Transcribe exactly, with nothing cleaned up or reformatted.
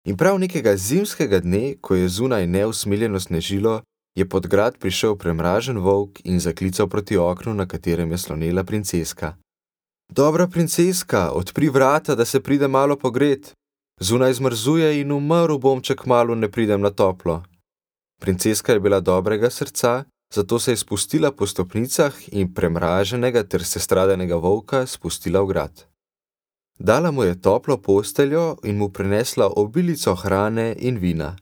In prav nekega zimskega dne, ko je zunaj neusmiljeno snežilo, je pod grad prišel premražen volk in zaklical proti oknu, na katerem je slonela princeska. Dobra princeska, odpri vrata, da se pride malo pogret. Zunaj zmrzuje in umrl bom, če kmalu ne pridem na toplo. Princeska je bila dobrega srca, zato se je spustila po stopnicah in premraženega ter sestradanega volka spustila v grad. Dala mu je toplo posteljo in mu prinesla obilico hrane in vina.